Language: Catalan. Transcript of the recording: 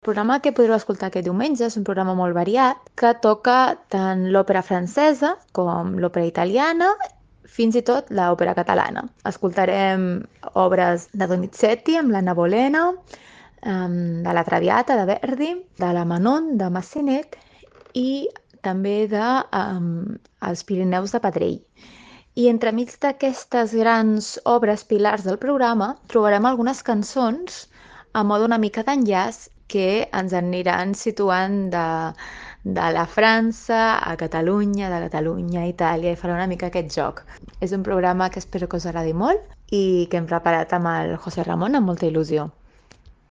El programa que podreu escoltar aquest diumenge és un programa molt variat que toca tant l'òpera francesa com l'òpera italiana, fins i tot l'òpera catalana. Escoltarem obres de Donizetti amb l'Anna Bolena, de la Traviata de Verdi, de la Manon de Massenet i també de Els Pirineus de Pedrell. I entremig d'aquestes grans obres pilars del programa trobarem algunes cançons a mode una mica d'enllaç que ens aniran situant de la França a Catalunya, de Catalunya a Itàlia, i farà una mica aquest joc. És un programa que espero que us agradi molt i que hem preparat amb el José Ramon amb molta il·lusió.